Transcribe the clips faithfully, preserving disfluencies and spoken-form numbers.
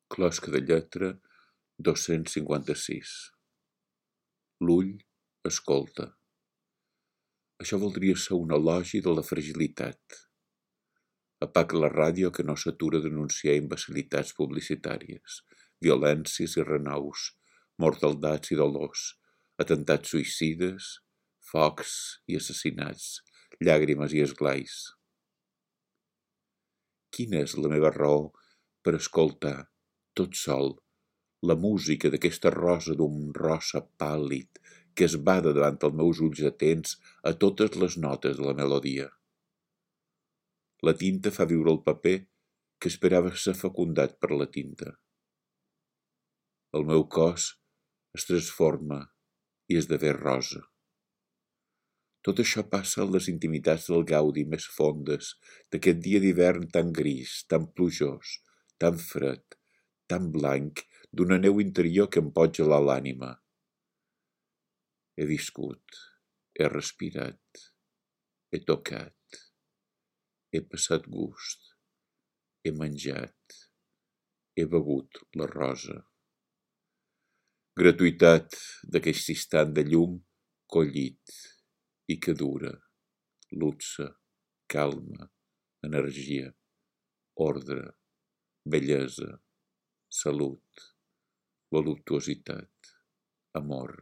Closca de lletra dos-cents cinquanta-sis. L'ull escolta. Això voldria ser un elogi de la fragilitat. Apaga la ràdio que no s'atura d'anunciar imbecilitats publicitàries, violències i renaus, mortaldats i dolors, atemptats suïcides, focs i assassinats, llàgrimes i esglais. Quina és la meva raó per escoltar, tot sol, la música d'aquesta rosa d'un rosa pàl·lid que es bada davant els meus ulls atents a totes les notes de la melodia? La tinta fa viure el paper que esperava ser fecundat per la tinta. El meu cos es transforma i esdevé rosa. Tot això passa en les intimitats del gaudi més fondes d'aquest dia d'hivern tan gris, tan plujós, tan fred, tan blanc, d'una neu interior que em pot gelar l'ànima. He viscut, he respirat, he tocat, he passat gust, he menjat, he begut la rosa. Gratuïtat d'aquest instant de llum collit i que dura, luxe, calma, energia, ordre, bellesa, salut, voluptuositat, amor.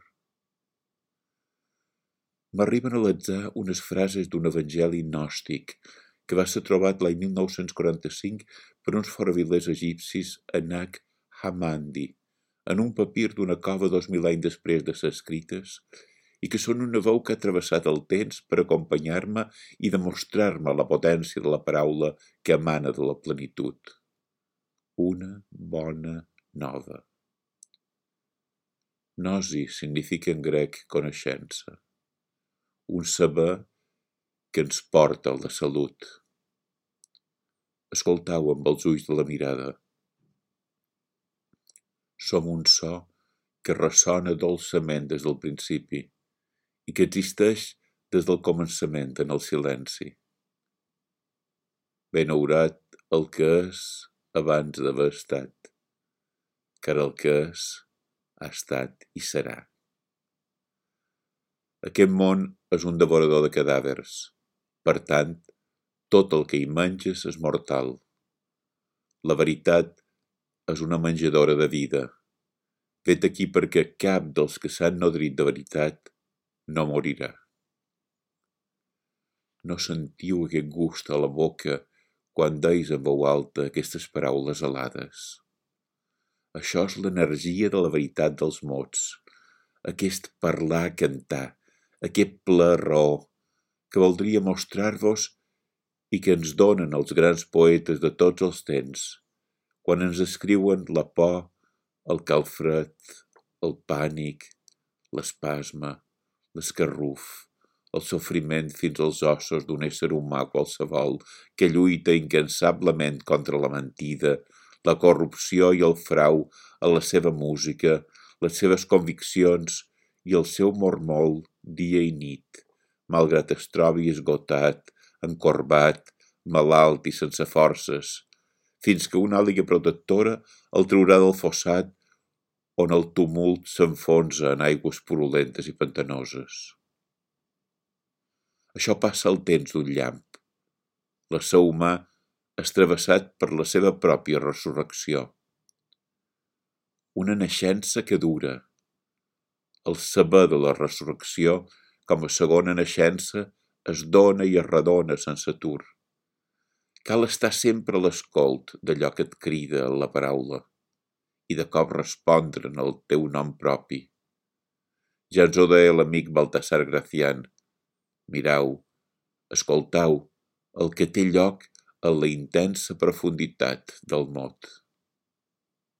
M'arriben a l'atzar unes frases d'un evangeli gnòstic que va ser trobat l'any mil nou-cents quaranta-cinc per uns foravilers egipcis a Nag Hammadi, en un papir d'una cova dos mil anys després de ser escrites, i que són una veu que ha travessat el temps per acompanyar-me i demostrar-me la potència de la paraula que emana de la plenitud. Una bona nova. Gnosi significa en grec coneixença. Un saber que ens porta a la salut. Escoltau amb els ulls de la mirada. Som un so que ressona dolçament des del principi i que existeix des del començament en el silenci. Benaurat el que és abans d'haver estat, car el que és ha estat i serà. Aquest món és un devorador de cadàvers, per tant, tot el que hi menges és mortal. La veritat és una menjadora de vida, fet aquí perquè cap dels que s'han nodrit de veritat no morirà. No sentiu aquest gust a la boca quan deis en veu alta aquestes paraules alades. Això és l'energia de la veritat dels mots, aquest parlar, cantar, aquest ple raó que voldria mostrar-vos i que ens donen els grans poetes de tots els temps, quan ens escriuen la por, el calfred, el pànic, l'espasme, l'escarruf, el sofriment fins als ossos d'un ésser humà qualsevol que lluita incansablement contra la mentida, la corrupció i el frau a la seva música, les seves conviccions i el seu mormol dia i nit, malgrat es trobi esgotat, encorbat, malalt i sense forces, fins que una àliga protectora el traurà del fossat on el tumult s'enfonsa en aigües purulentes i pantanoses. Això passa al temps d'un llamp. L'ésser humà és travessat per la seva pròpia resurrecció. Una naixença que dura. El saber de la resurrecció, com a segona naixença, es dona i es redona sense atur. Cal estar sempre a l'escolt d'allò que et crida la paraula i de cop respondre en el teu nom propi. Ja ens ho deia l'amic Baltasar Gracián. Mirau, escoltau el que té lloc en la intensa profunditat del mot.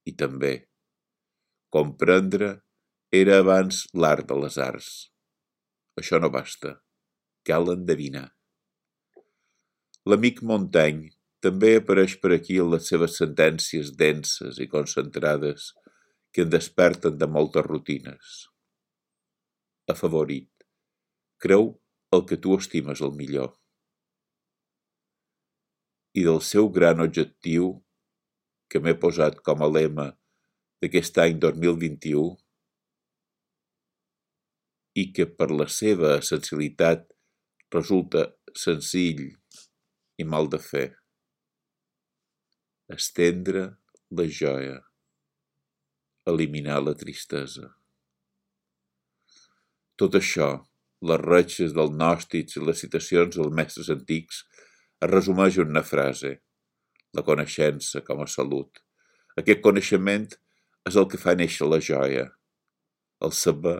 I també, comprendre era abans l'art de les arts. Això no basta, cal endevinar. L'amic Montaigne també apareix per aquí en les seves sentències denses i concentrades que en desperten de moltes rutines. Afavorit, creu el que tu estimes el millor. I del seu gran objectiu que m'he posat com a lema d'aquest any dos mil vint-i-u i que per la seva essencialitat resulta senzill i mal de fer. Estendre la joia, eliminar la tristesa. Tot això, les retxes dels gnòstics i les citacions dels mestres antics, es resumeix en una frase: la coneixença com a salut. Aquest coneixement és el que fa néixer la joia. El saber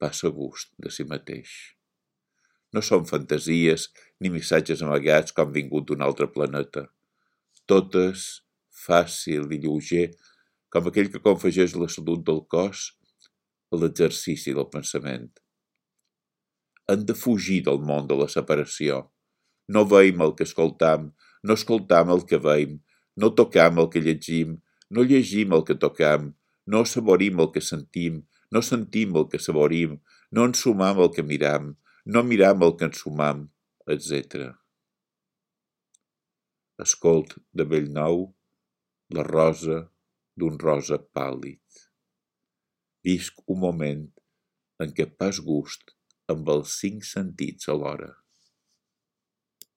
passa gust de si mateix. No són fantasies ni missatges amagats com vingut d'un altre planeta. Tot és fàcil i lleuger com aquell que confegeix la salut del cos a l'exercici del pensament. Hem de fugir del món de la separació. No veiem el que escoltam, no escoltam el que veiem, no tocam el que llegim, no llegim el que tocam, no saborim el que sentim, no sentim el que saborim, no ensumam el que miram, no miram el que ensumam, etcètera. Escolt de bell nou la rosa d'un rosa pàl·lid. Visc un moment en què pas gust amb els cinc sentits alhora.